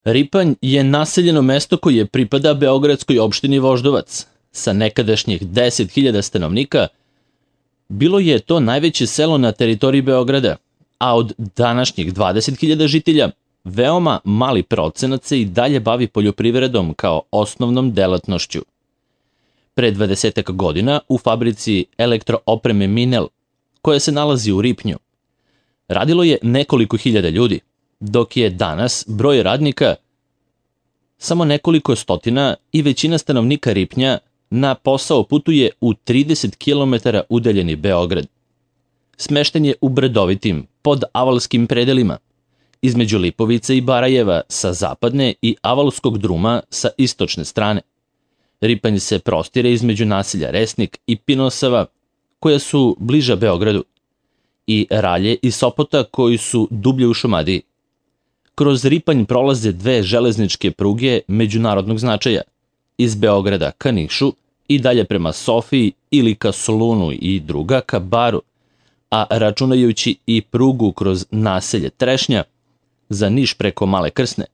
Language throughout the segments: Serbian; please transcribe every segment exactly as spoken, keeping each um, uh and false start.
Ripanj je naseljeno mesto koje pripada beogradskoj opštini Voždovac. Sa nekadašnjih deset hiljada stanovnika bilo je to najveće selo na teritoriji Beograda, a od današnjih dvadeset hiljada žitelja veoma mali procenat se i dalje bavi poljoprivredom kao osnovnom delatnošću. Pre dvadesetak godina u fabrici elektroopreme Minel, koja se nalazi u Ripnju, radilo je nekoliko hiljada ljudi, dok je danas broj radnika samo nekoliko stotina i većina stanovnika Ripnja na posao putuje u trideset kilometara udaljeni Beograd. Smešten je u brdovitim, podavalskim predelima, između Lipovice i Barajeva sa zapadne i Avalskog druma sa istočne strane. Ripanj se prostire između naselja Resnik i Pinosava, koja su bliža Beogradu, i Ralje i Sopota, koji su dublje u Šumadiji. Kroz Ripanj prolaze dve železničke pruge međunarodnog značaja, iz Beograda ka Nišu i dalje prema Sofiji ili ka Solunu i druga ka Baru, a računajući i prugu kroz naselje Trešnja za Niš preko Male Krsne,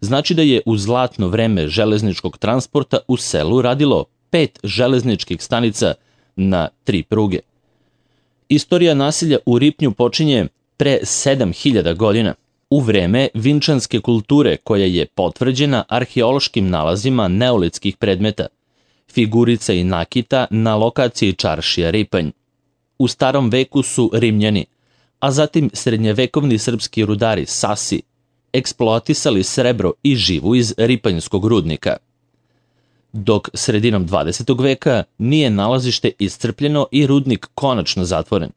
znači da je u zlatno vreme železničkog transporta u selu radilo pet železničkih stanica na tri pruge. Istorija naselja u Ripnju počinje pre sedam hiljada godina, u vreme vinčanske kulture koja je potvrđena arheološkim nalazima neolitskih predmeta, figurica i nakita na lokaciji čaršija Ripanj. U starom veku su Rimljani, a zatim srednjevekovni srpski rudari Sasi, eksploatisali srebro i živu iz ripanjskog rudnika. Dok sredinom dvadesetog veka nije nalazište iscrpljeno i rudnik konačno zatvoren.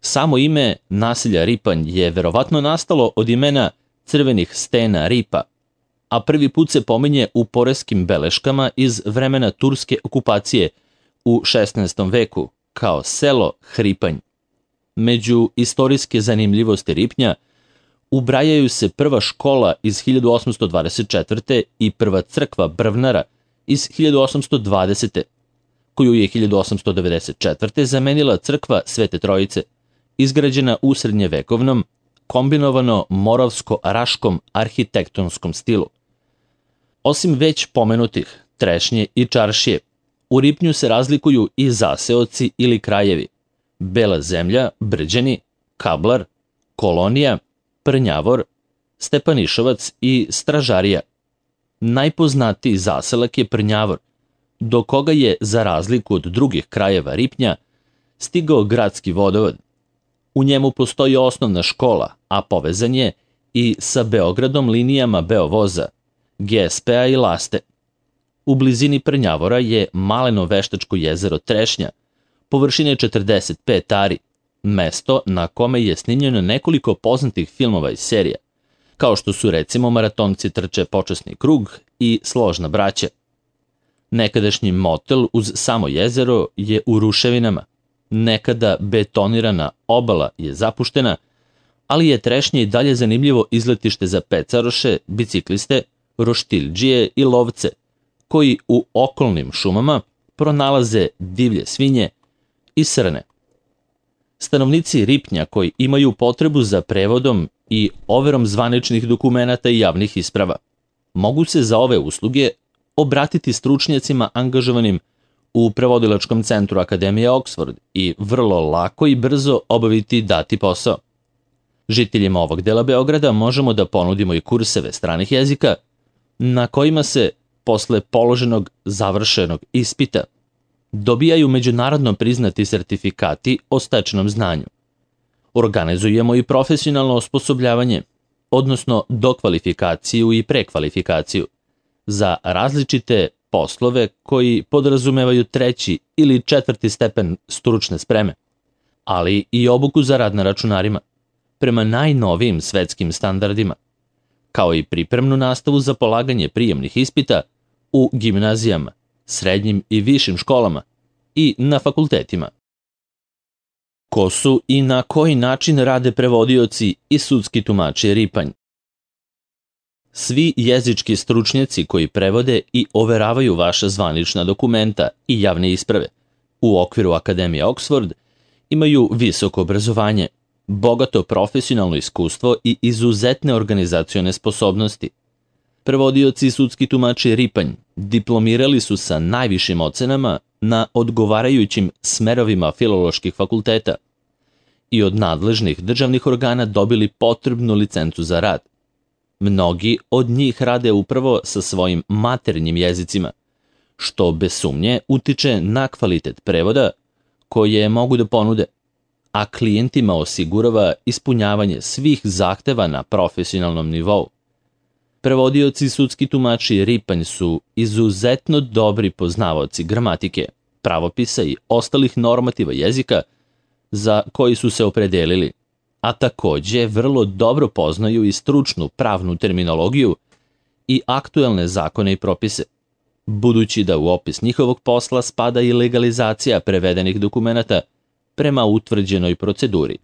Samo ime naselja Ripanj je verovatno nastalo od imena crvenih stena Ripa, a prvi put se pominje u poreskim beleškama iz vremena turske okupacije u šesnaestom veku kao selo Hripanj. Među istorijske zanimljivosti Ripnja ubrajaju se prva škola iz hiljadu osamsto dvadeset četvrte i prva crkva Brvnara iz hiljadu osamsto dvadesete, koju je hiljadu osamsto devedeset četvrte zamenila crkva Svete Trojice, izgrađena u srednjevekovnom, kombinovano moravsko-raškom arhitektonskom stilu. Osim već pomenutih Trešnje i Čaršije, u Ripnju se razlikuju i zaseoci ili krajevi: Bela zemlja, Brđani, Kablar, Kolonija, Prnjavor, Stepanišovac i Stražarija. Najpoznatiji zaselak je Prnjavor, do koga je, za razliku od drugih krajeva Ripnja, stigao gradski vodovod. U njemu postoji osnovna škola, a povezan je i sa Beogradom linijama Beovoza, G S P-a i Laste. U blizini Prnjavora je maleno veštačko jezero Trešnja, površine četrdeset pet ari, mesto na kome je snimljeno nekoliko poznatih filmova i serija, kao što su recimo Maratonci trče počasni krug i Složna braća. Nekadašnji motel uz samo jezero je u ruševinama, nekada betonirana obala je zapuštena, ali je Trešnje i dalje zanimljivo izletište za pecaroše, bicikliste, roštiljđije i lovce, koji u okolnim šumama pronalaze divlje svinje i srne. Stanovnici Ripnja koji imaju potrebu za prevodom i overom zvaničnih dokumenata i javnih isprava mogu se za ove usluge obratiti stručnjacima angažovanim u prevodilačkom centru Akademije Oxford i vrlo lako i brzo obaviti dati posao. Žiteljima ovog dela Beograda možemo da ponudimo i kurseve stranih jezika na kojima se posle položenog završenog ispita dobijaju međunarodno priznati sertifikati o stečenom znanju. Organizujemo i profesionalno osposobljavanje, odnosno dokvalifikaciju i prekvalifikaciju, za različite poslove koji podrazumevaju treći ili četvrti stepen stručne spreme, ali i obuku za rad na računarima, prema najnovijim svetskim standardima, kao i pripremnu nastavu za polaganje prijemnih ispita u gimnazijama, srednjim i višim školama i na fakultetima. Ko su i na koji način rade prevodioci i sudski tumači Ripanj? Svi jezički stručnjaci koji prevode i overavaju vaša zvanična dokumenta i javne isprave u okviru Akademije Oxford imaju visoko obrazovanje, bogato profesionalno iskustvo i izuzetne organizacione sposobnosti, Prevodioci i sudski tumači Ripanj diplomirali su sa najvišim ocenama na odgovarajućim smerovima filoloških fakulteta i od nadležnih državnih organa dobili potrebnu licencu za rad. Mnogi od njih rade upravo sa svojim maternjim jezicima, što bez sumnje utiče na kvalitet prevoda koje mogu da ponude, a klijentima osigurava ispunjavanje svih zahteva na profesionalnom nivou. Prevodioci i sudski tumači Ripanj su izuzetno dobri poznavaoci gramatike, pravopisa i ostalih normativa jezika za koji su se opredelili, a takođe vrlo dobro poznaju i stručnu pravnu terminologiju i aktuelne zakone i propise, budući da u opis njihovog posla spada i legalizacija prevedenih dokumenata prema utvrđenoj proceduri.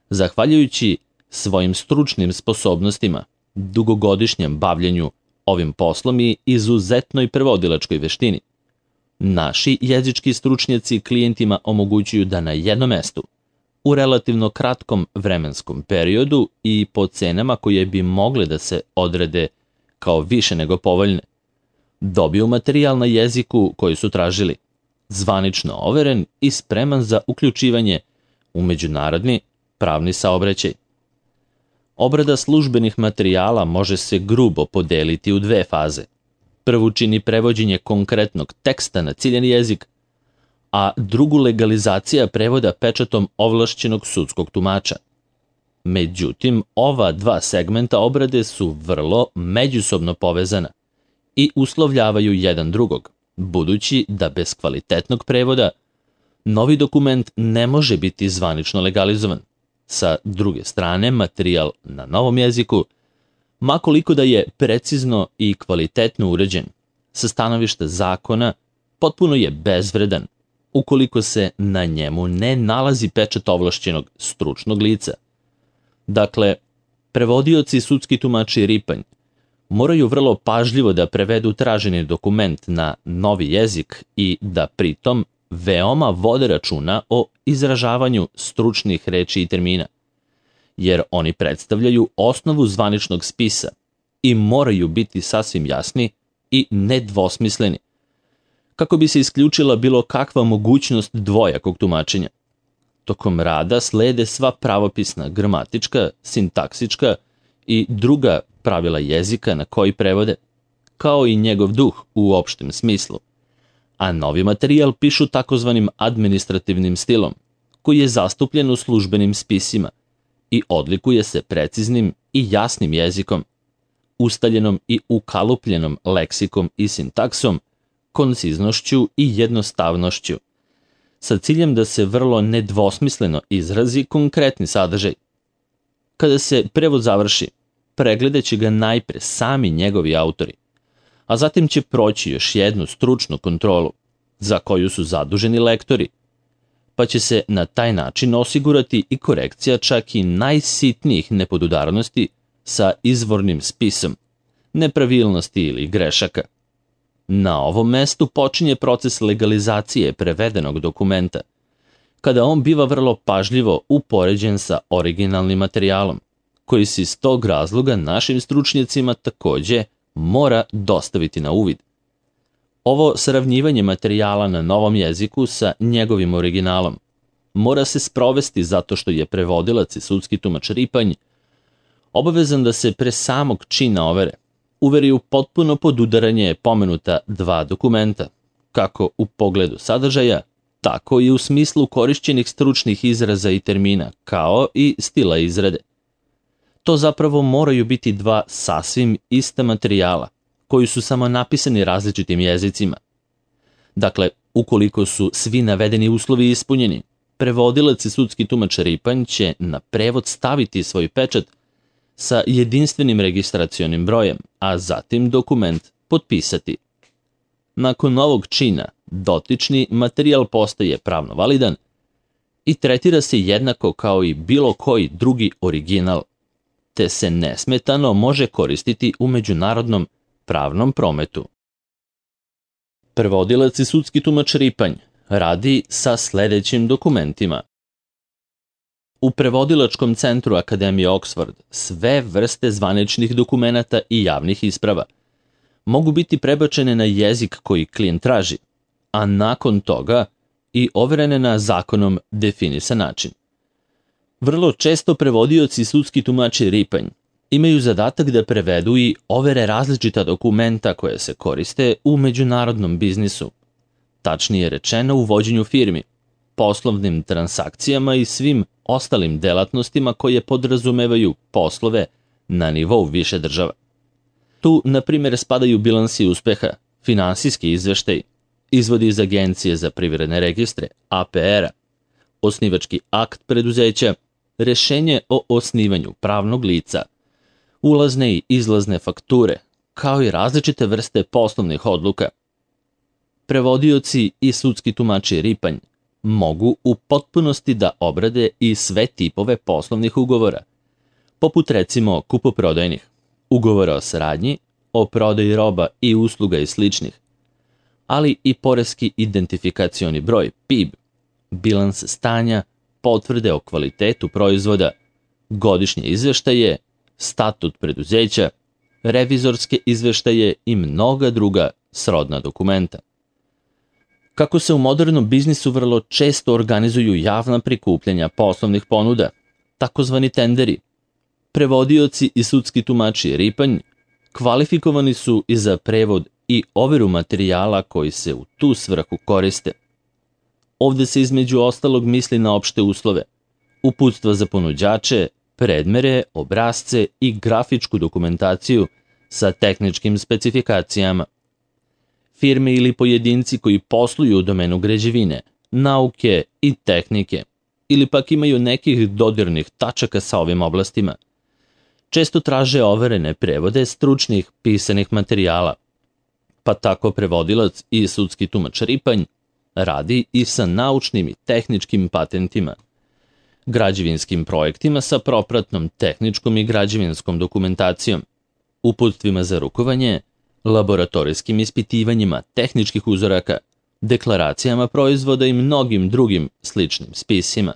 Zahvaljujući svojim stručnim sposobnostima, dugogodišnjem bavljenju ovim poslom i izuzetnoj prevodilačkoj veštini, naši jezički stručnjaci klijentima omogućuju da na jednom mestu, u relativno kratkom vremenskom periodu i po cenama koje bi mogle da se odrede kao više nego povoljne, dobiju materijal na jeziku koji su tražili, zvanično overen i spreman za uključivanje u međunarodni pravni saobraćaj. Obrada službenih materijala može se grubo podeliti u dve faze. Prvu čini prevođenje konkretnog teksta na ciljani jezik, a drugu legalizacija prevoda pečatom ovlašćenog sudskog tumača. Međutim, ova dva segmenta obrade su vrlo međusobno povezana i uslovljavaju jedan drugog, budući da bez kvalitetnog prevoda novi dokument ne može biti zvanično legalizovan. Sa druge strane, materijal na novom jeziku, makoliko da je precizno i kvalitetno uređen, sa stanovišta zakona, potpuno je bezvredan, ukoliko se na njemu ne nalazi pečat ovlašćenog stručnog lica. Dakle, prevodioci i sudski tumači Ripanj moraju vrlo pažljivo da prevedu traženi dokument na novi jezik i da pritom veoma vode računa o izražavanju stručnih reči i termina, jer oni predstavljaju osnovu zvaničnog spisa i moraju biti sasvim jasni i nedvosmisleni, kako bi se isključila bilo kakva mogućnost dvojakog tumačenja. Tokom rada slede sva pravopisna, gramatička, sintaksička i druga pravila jezika na koji prevode, kao i njegov duh u opštem smislu, a novi materijal pišu takozvanim administrativnim stilom, koji je zastupljen u službenim spisima i odlikuje se preciznim i jasnim jezikom, ustaljenom i ukalupljenom leksikom i sintaksom, konciznošću i jednostavnošću, sa ciljem da se vrlo nedvosmisleno izrazi konkretni sadržaj. Kada se prevod završi, pregledat će ga najpre sami njegovi autori, a zatim će proći još jednu stručnu kontrolu, za koju su zaduženi lektori, pa će se na taj način osigurati i korekcija čak i najsitnijih nepodudarnosti sa izvornim spisom, nepravilnosti ili grešaka. Na ovom mestu počinje proces legalizacije prevedenog dokumenta, kada on biva vrlo pažljivo upoređen sa originalnim materijalom, koji se iz tog razloga našim stručnjacima takođe mora dostaviti na uvid. Ovo sravnjivanje materijala na novom jeziku sa njegovim originalom mora se sprovesti zato što je prevodilac i sudski tumač Ripanj obavezan da se pre samog čina overe uveri u potpuno podudaranje pomenuta dva dokumenta, kako u pogledu sadržaja, tako i u smislu korišćenih stručnih izraza i termina, kao i stila izrade. To zapravo moraju biti dva sasvim ista materijala, koji su samo napisani različitim jezicima. Dakle, ukoliko su svi navedeni uslovi ispunjeni, prevodilac i sudski tumač Ripanj će na prevod staviti svoj pečat sa jedinstvenim registracionim brojem, a zatim dokument potpisati. Nakon ovog čina, dotični materijal postaje pravno validan i tretira se jednako kao i bilo koji drugi original, te se nesmetano može koristiti u međunarodnom pravnom prometu. Prevodilac i sudski tumač Ripanj radi sa sledećim dokumentima: U prevodilačkom centru Akademije Oxford sve vrste zvaničnih dokumenata i javnih isprava mogu biti prebačene na jezik koji klijent traži, a nakon toga i overene na zakonom definisan način. Vrlo često prevodioci i sudski tumači ripanj imaju zadatak da prevedu i overe različita dokumenta koje se koriste u međunarodnom biznisu, tačnije rečeno u vođenju firmi, poslovnim transakcijama i svim ostalim delatnostima koje podrazumevaju poslove na nivou više država. Tu, na primjer, spadaju bilansi uspeha, finansijski izveštaj, izvodi iz Agencije za privredne registre, A P R-a, osnivački akt preduzeća, rešenje o osnivanju pravnog lica, ulazne i izlazne fakture, kao i različite vrste poslovnih odluka. Prevodioci i sudski tumači ripanj mogu u potpunosti da obrade i sve tipove poslovnih ugovora, poput recimo kupoprodajnih, ugovora o saradnji, o prodaji roba i usluga i sličnih, ali i poreski identifikacioni broj P I B, bilans stanja, potvrde o kvalitetu proizvoda, godišnje izveštaje, statut preduzeća, revizorske izveštaje i mnoga druga srodna dokumenta. Kako se u modernom biznisu vrlo često organizuju javna prikupljanja poslovnih ponuda, takozvani tenderi, prevodioci i sudski tumači ripanj kvalifikovani su i za prevod i overu materijala koji se u tu svrhu koriste. Ovde se između ostalog misli na opšte uslove, uputstva za ponuđače, predmere, obrazce i grafičku dokumentaciju sa tehničkim specifikacijama. Firme ili pojedinci koji posluju u domenu građevine, nauke i tehnike, ili pak imaju nekih dodirnih tačaka sa ovim oblastima, često traže overene prevode stručnih pisanih materijala, pa tako prevodilac i sudski tumač ripanj radi i sa naučnim i tehničkim patentima, građevinskim projektima sa propratnom tehničkom i građevinskom dokumentacijom, uputstvima za rukovanje, laboratorijskim ispitivanjima tehničkih uzoraka, deklaracijama proizvoda i mnogim drugim sličnim spisima.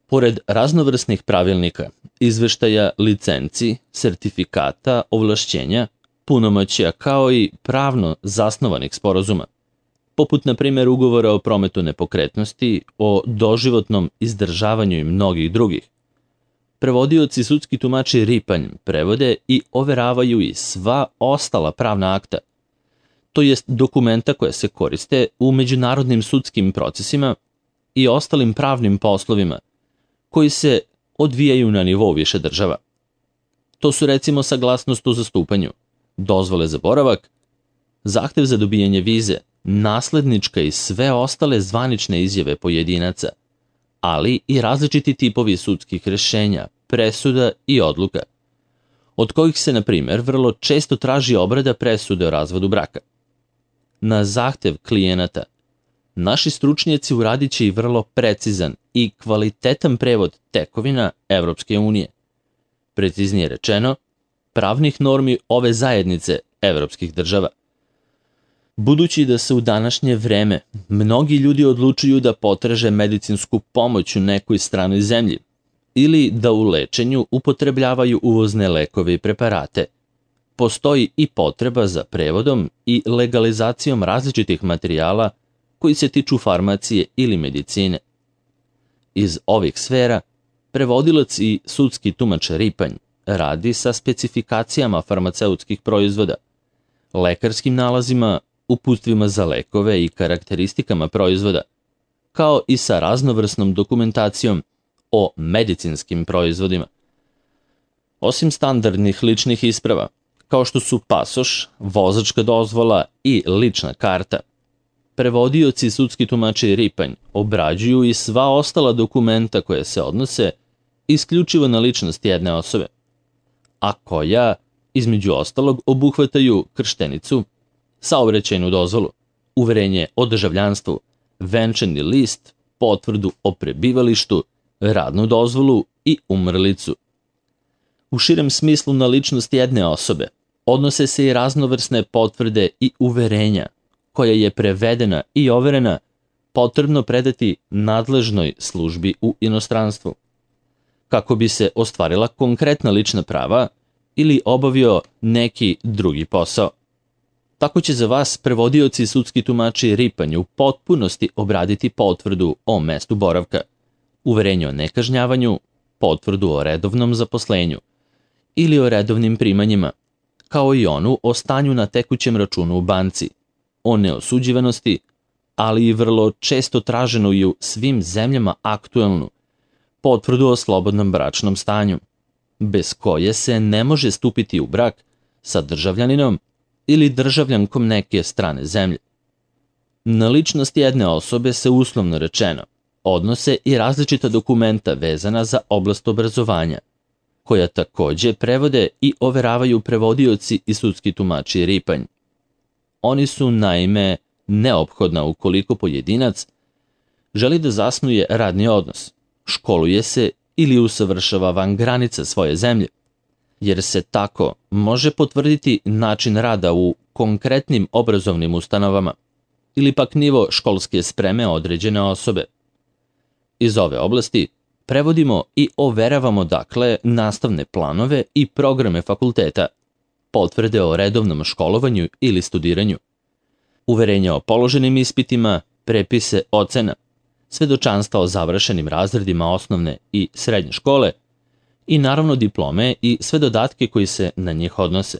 Pored raznovrsnih pravilnika, izveštaja, licenci, sertifikata, ovlašćenja, punomoćja kao i pravno zasnovanih sporazuma, poput na primjer ugovora o prometu nepokretnosti, o doživotnom izdržavanju i mnogih drugih, prevodioci sudski tumači ripanj prevode i overavaju i sva ostala pravna akta, to jest dokumenta koje se koriste u međunarodnim sudskim procesima i ostalim pravnim poslovima koji se odvijaju na nivou više država. To su recimo saglasnost o zastupanju, dozvole za boravak, zahtev za dobijanje vize, naslednička i sve ostale zvanične izjave pojedinaca, ali i različiti tipovi sudskih rešenja, presuda i odluka, od kojih se, na primjer, vrlo često traži obrada presude o razvodu braka. Na zahtev klijenata, naši stručnjaci uradit će i vrlo precizan i kvalitetan prevod tekovina Evropske unije, preciznije rečeno, pravnih normi ove zajednice evropskih država. Budući da se u današnje vreme mnogi ljudi odlučuju da potraže medicinsku pomoć u nekoj stranoj zemlji ili da u lečenju upotrebljavaju uvozne lekove i preparate, postoji i potreba za prevodom i legalizacijom različitih materijala koji se tiču farmacije ili medicine. Iz ovih sfera, prevodilac i sudski tumač ripanj radi sa specifikacijama farmaceutskih proizvoda, lekarskim nalazima, uputstvima za lekove i karakteristikama proizvoda, kao i sa raznovrsnom dokumentacijom o medicinskim proizvodima. Osim standardnih ličnih isprava, kao što su pasoš, vozačka dozvola i lična karta, prevodioci i sudski tumači ripanj obrađuju i sva ostala dokumenta koje se odnose isključivo na ličnost jedne osobe, a koja, između ostalog, obuhvataju krštenicu, saobraćajnu dozvolu, uverenje o državljanstvu, venčani list, potvrdu o prebivalištu, radnu dozvolu i umrlicu. U širem smislu na ličnost jedne osobe odnose se i raznovrsne potvrde i uverenja koja je prevedena i overena potrebno predati nadležnoj službi u inostranstvu, kako bi se ostvarila konkretna lična prava ili obavio neki drugi posao. Tako će za vas prevodioci i sudski tumači Ripanj u potpunosti obraditi potvrdu o mestu boravka, uverenje o nekažnjavanju, potvrdu o redovnom zaposlenju ili o redovnim primanjima, kao i onu o stanju na tekućem računu u banci, o neosuđivanosti, ali i vrlo često traženu i u svim zemljama aktuelnu potvrdu o slobodnom bračnom stanju, bez koje se ne može stupiti u brak sa državljaninom ili državljankom neke strane zemlje. Na ličnost jedne osobe se uslovno rečeno odnose i različita dokumenta vezana za oblast obrazovanja, koja takođe prevode i overavaju prevodioci i sudski tumači Ripanj. Oni su, naime, neophodna ukoliko pojedinac želi da zasnuje radni odnos, školuje se ili usavršava van granica svoje zemlje, jer se tako može potvrditi način rada u konkretnim obrazovnim ustanovama ili pak nivo školske spreme određene osobe. Iz ove oblasti prevodimo i overavamo dakle nastavne planove i programe fakulteta, potvrde o redovnom školovanju ili studiranju, uverenja o položenim ispitima, prepise ocena, svedočanstva o završenim razredima osnovne i srednje škole i naravno diplome i sve dodatke koji se na njih odnose.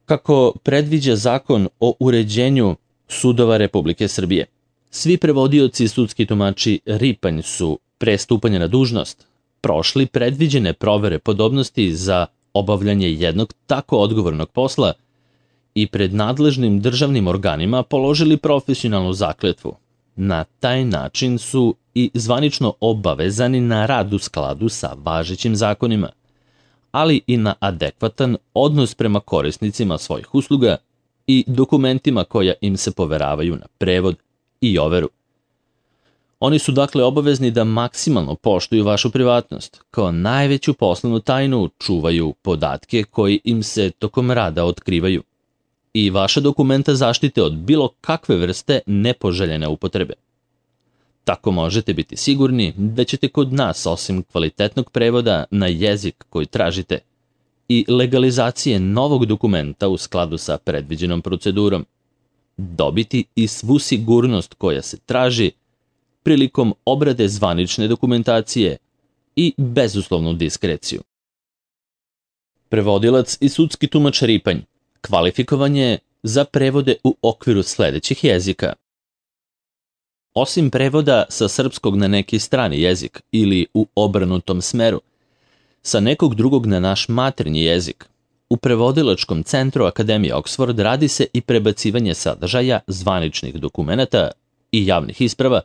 Kako predviđa Zakon o uređenju sudova Republike Srbije, svi prevodioci i sudski tumači Ripanj su pre stupanja na dužnost prošli predviđene provere podobnosti za obavljanje jednog tako odgovornog posla i pred nadležnim državnim organima položili profesionalnu zakletvu. Na taj način su i zvanično obavezani na rad u skladu sa važećim zakonima, ali i na adekvatan odnos prema korisnicima svojih usluga i dokumentima koja im se poveravaju na prevod i overu. Oni su dakle obavezni da maksimalno poštuju vašu privatnost, kao najveću poslovnu tajnu čuvaju podatke koji im se tokom rada otkrivaju i vaša dokumenta zaštite od bilo kakve vrste nepoželjene upotrebe. Tako možete biti sigurni da ćete kod nas, osim kvalitetnog prevoda na jezik koji tražite i legalizacije novog dokumenta u skladu sa predviđenom procedurom, dobiti i svu sigurnost koja se traži prilikom obrade zvanične dokumentacije i bezuslovnu diskreciju. Prevodilac i sudski tumač Ripanj kvalifikovan je za prevode u okviru sledećih jezika. Osim prevoda sa srpskog na neki strani jezik ili u obrnutom smeru, sa nekog drugog na naš maternji jezik, u prevodilačkom centru Akademije Oxford radi se i prebacivanje sadržaja zvaničnih dokumenata i javnih isprava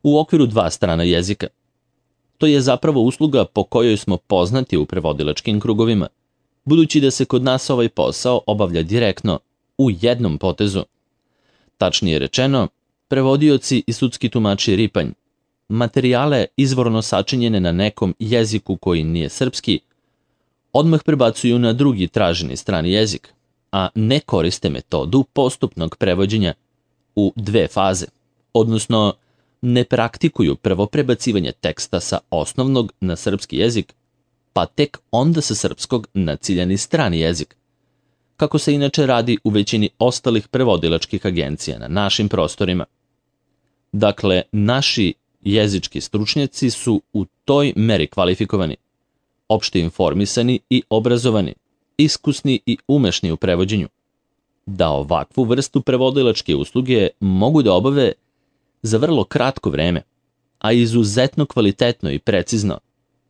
u okviru dva strana jezika. To je zapravo usluga po kojoj smo poznati u prevodilačkim krugovima, budući da se kod nas ovaj posao obavlja direktno u jednom potezu. Tačnije rečeno, prevodioci i sudski tumači Ripanj materijale izvorno sačinjene na nekom jeziku koji nije srpski odmah prebacuju na drugi traženi strani jezik, a ne koriste metodu postupnog prevođenja u dve faze, odnosno ne praktikuju prvo prebacivanje teksta sa osnovnog na srpski jezik, pa tek onda sa srpskog na ciljani strani jezik, kako se inače radi u većini ostalih prevodilačkih agencija na našim prostorima. Dakle, naši jezički stručnjaci su u toj meri kvalifikovani, opšte informisani i obrazovani, iskusni i umešni u prevođenju, da ovakvu vrstu prevodilačke usluge mogu da obave za vrlo kratko vreme, a izuzetno kvalitetno i precizno,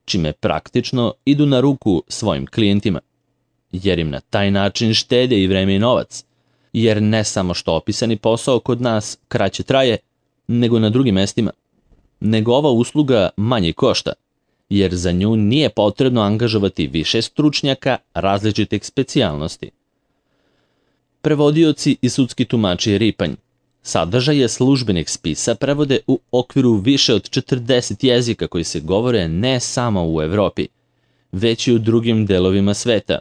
čime praktično idu na ruku svojim klijentima, jer im na taj način štede i vreme i novac, jer ne samo što opisani posao kod nas kraće traje, nego na drugim mestima, nego ova usluga manje košta, jer za nju nije potrebno angažovati više stručnjaka različitih specijalnosti. Prevodioci i sudski tumači Ripanj sadržaje službenih spisa prevode u okviru više od četrdeset jezika koji se govore ne samo u Evropi, već i u drugim delovima sveta,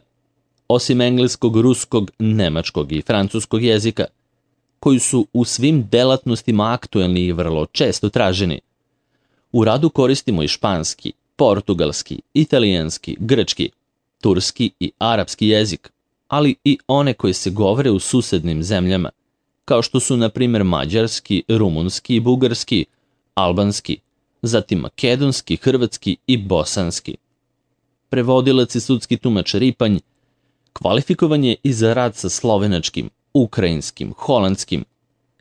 osim engleskog, ruskog, nemačkog i francuskog jezika, koji su u svim delatnostima aktuelni i vrlo često traženi. U radu koristimo i španski, portugalski, italijanski, grčki, turski i arapski jezik, ali i one koje se govore u susednim zemljama, kao što su na primjer mađarski, rumunski i bugarski, albanski, zatim makedonski, hrvatski i bosanski. Prevodilac i sudski tumač Ripanj kvalifikovan je i za rad sa slovenačkim, ukrajinskim, holandskim,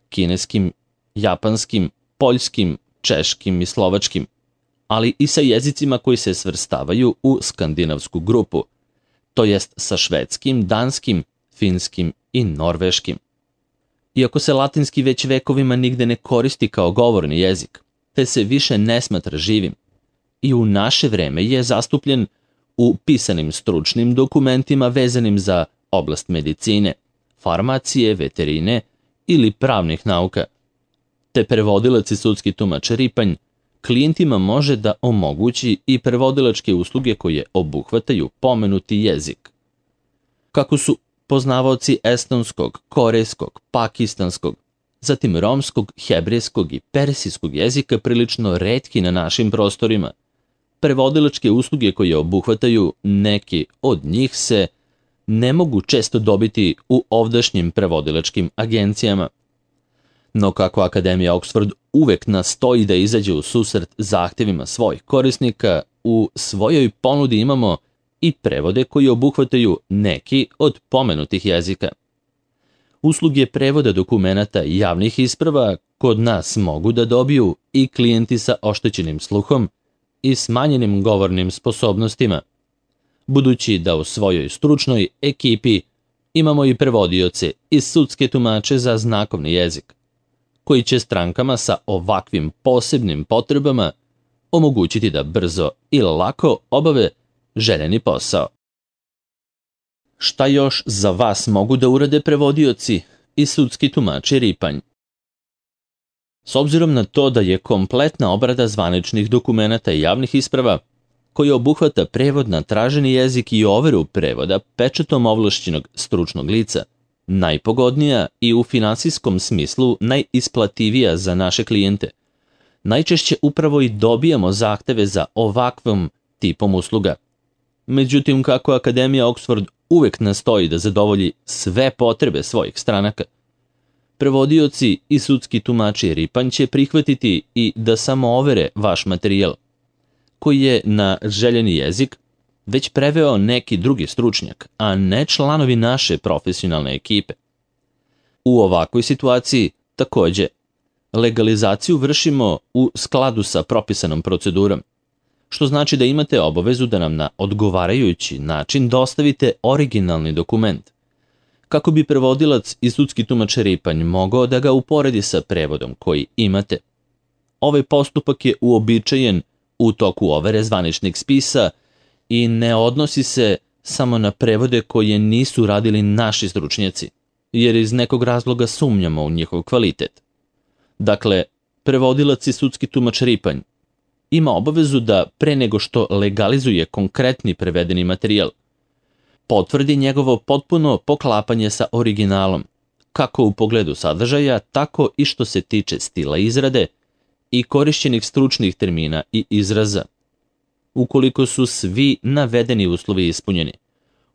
kineskim, japanskim, poljskim, češkim i slovačkim, ali i sa jezicima koji se svrstavaju u skandinavsku grupu, to jest sa švedskim, danskim, finskim i norveškim. Iako se latinski već vekovima nigde ne koristi kao govorni jezik, te se više ne smatra živim, i u naše vreme je zastupljen u pisanim stručnim dokumentima vezanim za oblast medicine, farmacije, veterine ili pravnih nauka. Te prevodilac i sudski tumač Ripanj klijentima može da omogući i prevodilačke usluge koje obuhvataju pomenuti jezik. Kako su poznavaoci estonskog, korejskog, pakistanskog, zatim romskog, hebrejskog i persijskog jezika prilično retki na našim prostorima, prevodilačke usluge koje obuhvataju neki od njih se ne mogu često dobiti u ovdašnjim prevodilačkim agencijama. No kako Akademija Oxford uvek nastoji da izađe u susret zahtevima svojih korisnika, u svojoj ponudi imamo i prevode koji obuhvataju neki od pomenutih jezika. Usluge prevoda dokumenata i javnih isprava kod nas mogu da dobiju i klijenti sa oštećenim sluhom i smanjenim govornim sposobnostima, budući da u svojoj stručnoj ekipi imamo i prevodioce i sudske tumače za znakovni jezik, koji će strankama sa ovakvim posebnim potrebama omogućiti da brzo i lako obave željeni posao. Šta još za vas mogu da urade prevodioci i sudski tumači Ripanj? S obzirom na to da je kompletna obrada zvaničnih dokumenata i javnih isprava, koji obuhvata prevod na traženi jezik i overu prevoda pečatom ovlašćenog stručnog lica, najpogodnija i u finansijskom smislu najisplativija za naše klijente, najčešće upravo i dobijamo zahteve za ovakvom tipom usluga. Međutim, kako Akademija Oxford uvek nastoji da zadovolji sve potrebe svojih stranaka, prevodioci i sudski tumači Ripanj će prihvatiti i da samo overe vaš materijal, koji je na željeni jezik već preveo neki drugi stručnjak, a ne članovi naše profesionalne ekipe. U ovakvoj situaciji, takođe, legalizaciju vršimo u skladu sa propisanom procedurom, što znači da imate obavezu da nam na odgovarajući način dostavite originalni dokument, kako bi prevodilac i sudski tumač Ripanj mogao da ga uporedi sa prevodom koji imate. Ovaj postupak je uobičajen u toku overe zvaničnih spisa i ne odnosi se samo na prevode koje nisu radili naši stručnjaci, jer iz nekog razloga sumnjamo u njihov kvalitet. Dakle, prevodilac i sudski tumač Ripanj ima obavezu da pre nego što legalizuje konkretni prevedeni materijal, potvrdi njegovo potpuno poklapanje sa originalom, kako u pogledu sadržaja, tako i što se tiče stila izrade i korišćenih stručnih termina i izraza. Ukoliko su svi navedeni uslovi ispunjeni,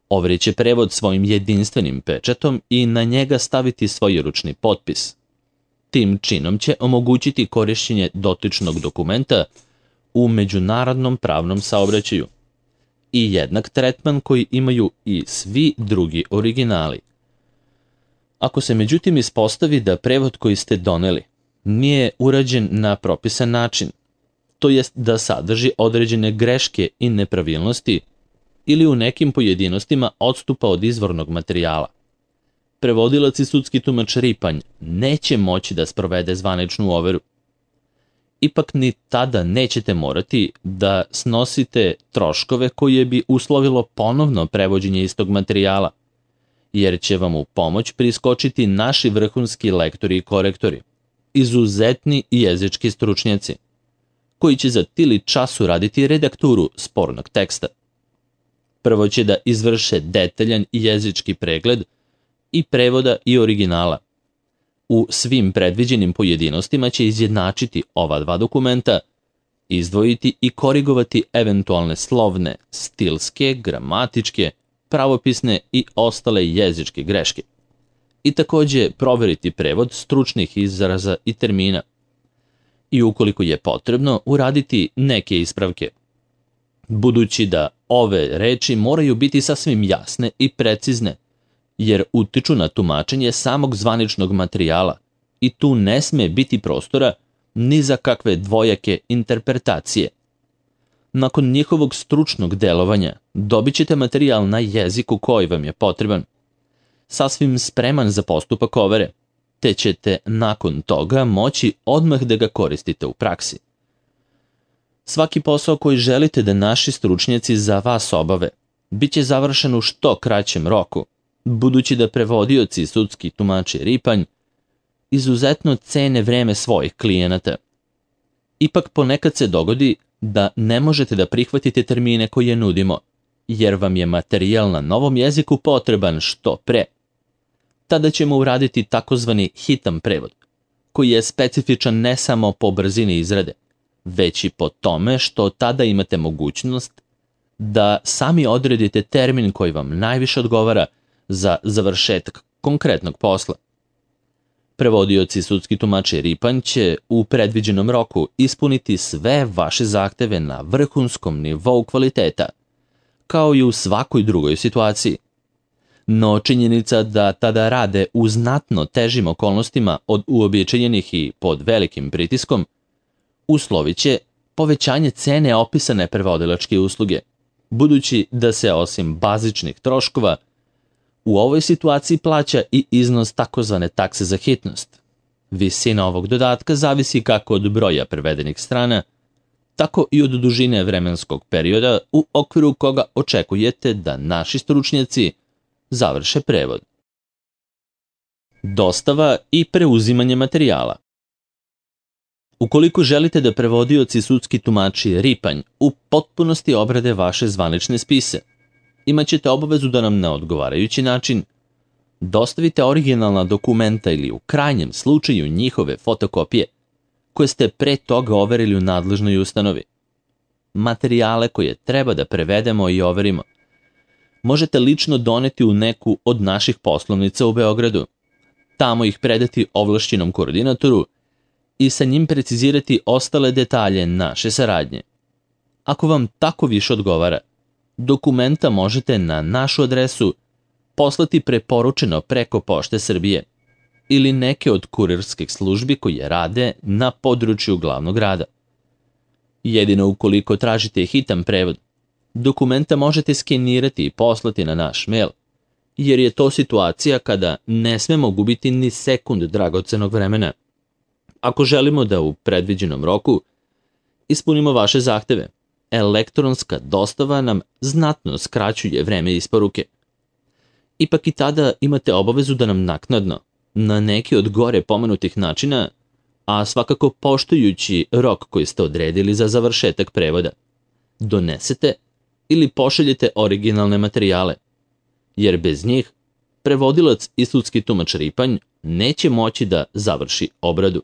overit će prevod svojim jedinstvenim pečatom i na njega staviti svoj ručni potpis. Tim činom će omogućiti korišćenje dotičnog dokumenta u međunarodnom pravnom saobraćaju i jednak tretman koji imaju i svi drugi originali. Ako se međutim ispostavi da prevod koji ste doneli nije urađen na propisan način, to jest da sadrži određene greške i nepravilnosti ili u nekim pojedinostima odstupa od izvornog materijala, prevodilac i sudski tumač Ripanj neće moći da sprovede zvaničnu overu. Ipak ni tada nećete morati da snosite troškove koje bi uslovilo ponovno prevođenje istog materijala, jer će vam u pomoć priskočiti naši vrhunski lektori i korektori, izuzetni jezički stručnjaci, koji će za tili čas uraditi redakturu spornog teksta. Prvo će da izvrše detaljan jezički pregled i prevoda i originala. U svim predviđenim pojedinostima će izjednačiti ova dva dokumenta izdvojiti i korigovati eventualne slovne, stilske, gramatičke, pravopisne i ostale jezičke greške. I takođe proveriti prevod stručnih izraza i termina. I ukoliko je potrebno, uraditi neke ispravke. Budući da ove reči moraju biti sasvim jasne i precizne, jer utiču na tumačenje samog zvaničnog materijala i tu ne sme biti prostora ni za kakve dvojake interpretacije. Nakon njihovog stručnog delovanja dobit ćete materijal na jeziku koji vam je potreban, sasvim spreman za postupak overe, te ćete nakon toga moći odmah da ga koristite u praksi. Svaki posao koji želite da naši stručnjaci za vas obave, bit će završen u što kraćem roku, budući da prevodioci i sudski tumači Ripanj izuzetno cene vreme svojih klijenata. Ipak ponekad se dogodi da ne možete da prihvatite termine koje nudimo, jer vam je materijal na novom jeziku potreban što pre. Tada ćemo uraditi takozvani hitan prevod, koji je specifičan ne samo po brzini izrade, već i po tome što tada imate mogućnost da sami odredite termin koji vam najviše odgovara za završetak konkretnog posla. Prevodioci i sudski tumači Ripanj će u predviđenom roku ispuniti sve vaše zahteve na vrhunskom nivou kvaliteta, kao i u svakoj drugoj situaciji. No činjenica da tada rade u znatno težim okolnostima od uobičajenih i pod velikim pritiskom, uslovit će povećanje cene opisane prevodilačke usluge, budući da se osim bazičnih troškova u ovoj situaciji plaća i iznos takozvane takse za hitnost. Visina ovog dodatka zavisi kako od broja prevedenih strana, tako i od dužine vremenskog perioda u okviru koga očekujete da naši stručnjaci završe prevod. Dostava i preuzimanje materijala. Ukoliko želite da prevodioci i sudski tumači Ripanj u potpunosti obrade vaše zvanične spise, imaćete obavezu da nam na odgovarajući način dostavite originalna dokumenta ili u krajnjem slučaju njihove fotokopije, koje ste pre toga overili u nadležnoj ustanovi. Materijale koje treba da prevedemo i overimo možete lično doneti u neku od naših poslovnica u Beogradu, tamo ih predati ovlašćenom koordinatoru i sa njim precizirati ostale detalje naše saradnje. Ako vam tako više odgovara, dokumenta možete na našu adresu poslati preporučeno preko Pošte Srbije ili neke od kurirskih službi koje rade na području glavnog grada. Jedino ukoliko tražite hitan prevod, dokumenta možete skenirati i poslati na naš mail, jer je to situacija kada ne smemo gubiti ni sekund dragocenog vremena. Ako želimo da u predviđenom roku ispunimo vaše zahteve, elektronska dostava nam znatno skraćuje vreme isporuke. Ipak i tada imate obavezu da nam naknadno, na neki od gore pomenutih načina, a svakako poštujući rok koji ste odredili za završetak prevoda, donesete ili pošaljete originalne materijale, jer bez njih prevodilac i sudski tumač Ripanj neće moći da završi obradu.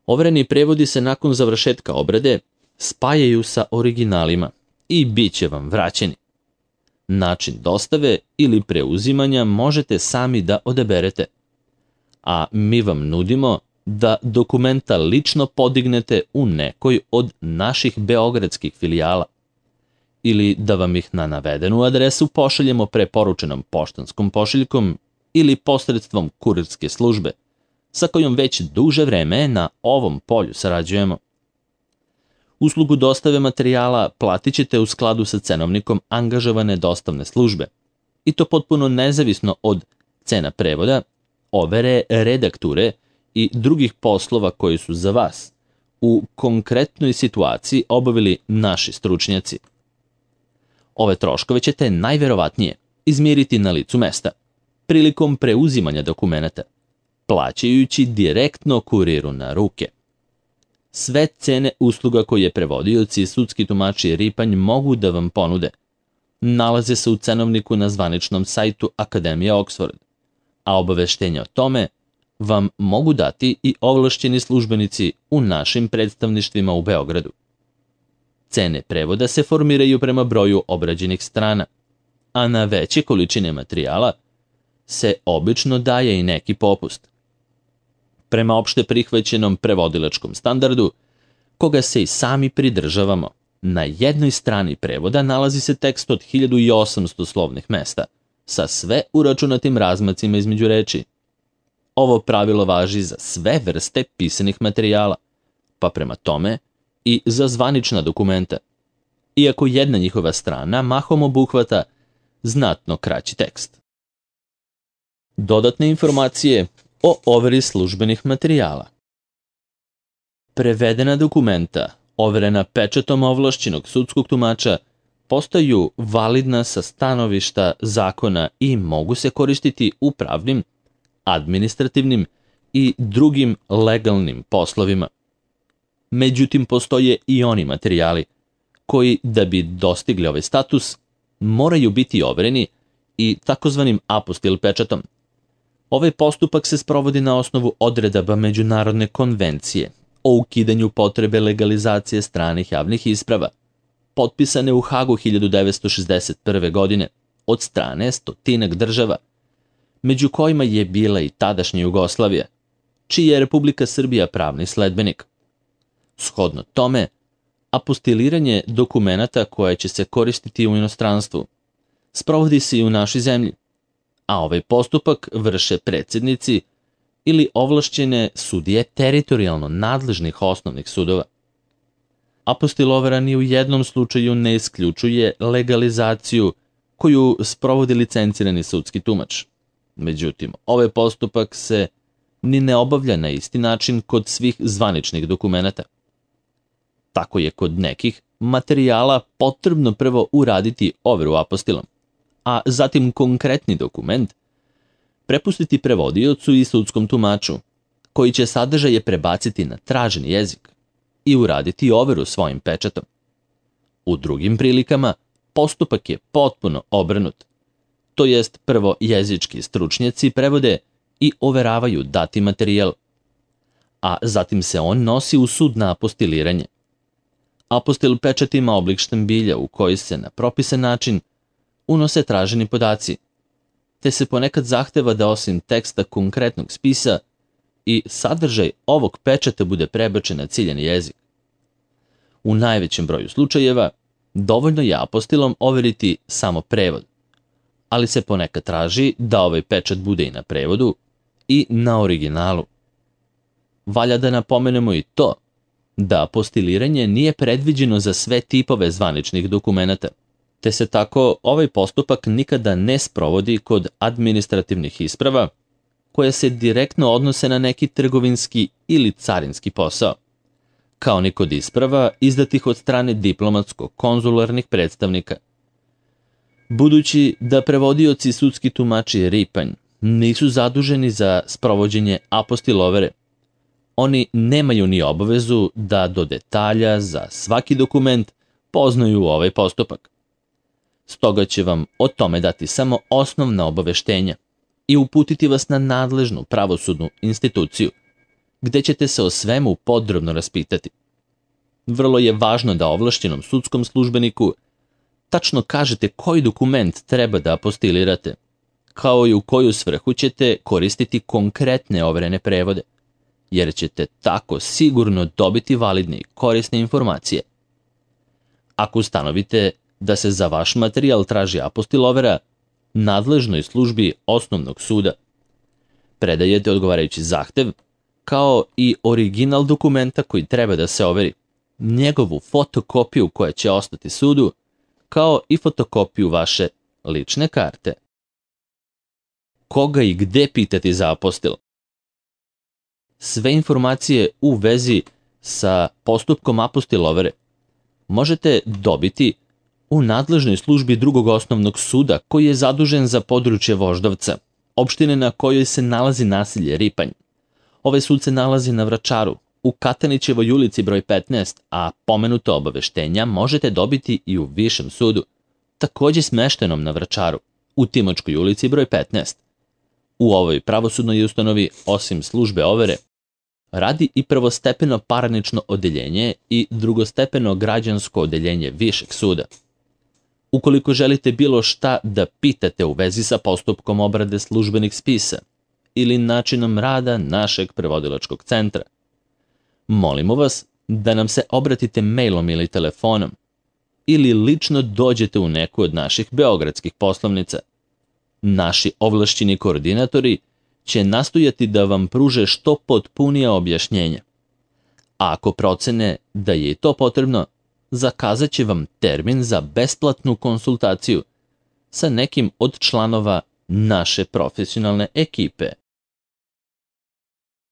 Overeni prevodi se nakon završetka obrade spajaju sa originalima i bit će vam vraćeni. Način dostave ili preuzimanja možete sami da odaberete, a mi vam nudimo da dokumenta lično podignete u nekoj od naših beogradskih filijala ili da vam ih na navedenu adresu pošaljemo preporučenom poštanskom pošiljkom ili posredstvom kurirske službe, sa kojom već duže vreme na ovom polju sarađujemo. Uslugu dostave materijala platit ćete u skladu sa cenovnikom angažovane dostavne službe, i to potpuno nezavisno od cena prevoda, overe, redakture i drugih poslova koji su za vas u konkretnoj situaciji obavili naši stručnjaci. Ove troškove ćete najverovatnije izmiriti na licu mesta, prilikom preuzimanja dokumenata, plaćajući direktno kuriru na ruke. Sve cene usluga koje prevodioci i sudski tumači Ripanj mogu da vam ponude nalaze se u cenovniku na zvaničnom sajtu Akademije Oxford, a obaveštenja o tome vam mogu dati i ovlašćeni službenici u našim predstavništvima u Beogradu. Cene prevoda se formiraju prema broju obrađenih strana, a na veće količine materijala se obično daje i neki popust. Prema opšte prihvaćenom prevodilačkom standardu, koga se i sami pridržavamo, na jednoj strani prevoda nalazi se tekst od hiljadu osamsto slovnih mesta, sa sve uračunatim razmacima između reči. Ovo pravilo važi za sve vrste pisanih materijala, pa prema tome i za zvanična dokumenta, iako jedna njihova strana mahom obuhvata znatno kraći tekst. Dodatne informacije o overi službenih materijala. Prevedena dokumenta, overena pečatom ovlašćenog sudskog tumača, postaju validna sa stanovišta zakona i mogu se koristiti u pravnim, administrativnim i drugim legalnim poslovima. Međutim, postoje i oni materijali koji, da bi dostigli ovaj status, moraju biti overeni i takozvanim apostil pečatom. Ovaj postupak se sprovodi na osnovu odredaba Međunarodne konvencije o ukidanju potrebe legalizacije stranih javnih isprava, potpisane u Hagu hiljadu devetsto šezdeset prve. godine od strane stotinak država, među kojima je bila i tadašnja Jugoslavija, čiji je Republika Srbija pravni sledbenik. Shodno tome, apostiliranje dokumenata koje će se koristiti u inostranstvu sprovodi se i u našoj zemlji, a ovaj postupak vrše predsjednici ili ovlašćene sudije teritorijalno nadležnih osnovnih sudova. Apostilovera ni u jednom slučaju ne isključuje legalizaciju koju sprovodi licencirani sudski tumač. Međutim, ovaj postupak se ni ne obavlja na isti način kod svih zvaničnih dokumenata. Tako je kod nekih materijala potrebno prvo uraditi overu apostilom, a zatim konkretni dokument prepustiti prevodiocu i sudskom tumaču, koji će sadržaje prebaciti na traženi jezik i uraditi overu svojim pečatom. U drugim prilikama postupak je potpuno obrnut, to jest prvo jezički stručnjaci prevode i overavaju dati materijal, a zatim se on nosi u sud na apostiliranje. Apostil pečat ima oblik štambilja u koji se na propisan način unose traženi podaci, te se ponekad zahteva da osim teksta konkretnog spisa i sadržaj ovog pečata bude prebačen na ciljani jezik. U najvećem broju slučajeva dovoljno je apostilom overiti samo prevod, ali se ponekad traži da ovaj pečat bude i na prevodu i na originalu. Valja da napomenemo i to da apostiliranje nije predviđeno za sve tipove zvaničnih dokumenata, te se tako ovaj postupak nikada ne sprovodi kod administrativnih isprava koje se direktno odnose na neki trgovinski ili carinski posao, kao ni kod isprava izdatih od strane diplomatsko-konzularnih predstavnika. Budući da prevodioci i sudski tumači Ripanj nisu zaduženi za sprovođenje apostilovere, oni nemaju ni obavezu da do detalja za svaki dokument poznaju ovaj postupak. Stoga će vam o tome dati samo osnovna obaveštenja i uputiti vas na nadležnu pravosudnu instituciju, gde ćete se o svemu podrobno raspitati. Vrlo je važno da ovlašćenom sudskom službeniku tačno kažete koji dokument treba da apostilirate, kao i u koju svrhu ćete koristiti konkretne overene prevode, jer ćete tako sigurno dobiti validne i korisne informacije. Ako ustanovite da se za vaš materijal traži apostilovera, nadležnoj službi osnovnog suda predajete odgovarajući zahtev, kao i original dokumenta koji treba da se overi, njegovu fotokopiju koja će ostati sudu, kao i fotokopiju vaše lične karte. Koga i gde pitati za apostil? Sve informacije u vezi sa postupkom apostilovere možete dobiti u nadležnoj službi drugog osnovnog suda koji je zadužen za područje Voždovca, opštine na kojoj se nalazi naselje Ripanj. Ovaj sud se nalazi na Vračaru, u Katanićevoj ulici broj petnaest, a pomenuto obaveštenja možete dobiti i u Višem sudu, takođe smeštenom na Vračaru, u Timočkoj ulici broj petnaest. U ovoj pravosudnoj ustanovi, osim službe overe, radi i prvostepeno parnično odeljenje i drugostepeno građansko odeljenje Višeg suda. Ukoliko želite bilo šta da pitate u vezi sa postupkom obrade službenih spisa ili načinom rada našeg prevodilačkog centra, molimo vas da nam se obratite mailom ili telefonom ili lično dođete u neku od naših beogradskih poslovnica. Naši ovlašćeni koordinatori će nastojati da vam pruže što potpunija objašnjenja. A ako procene da je i to potrebno, zakazat će vam termin za besplatnu konsultaciju sa nekim od članova naše profesionalne ekipe.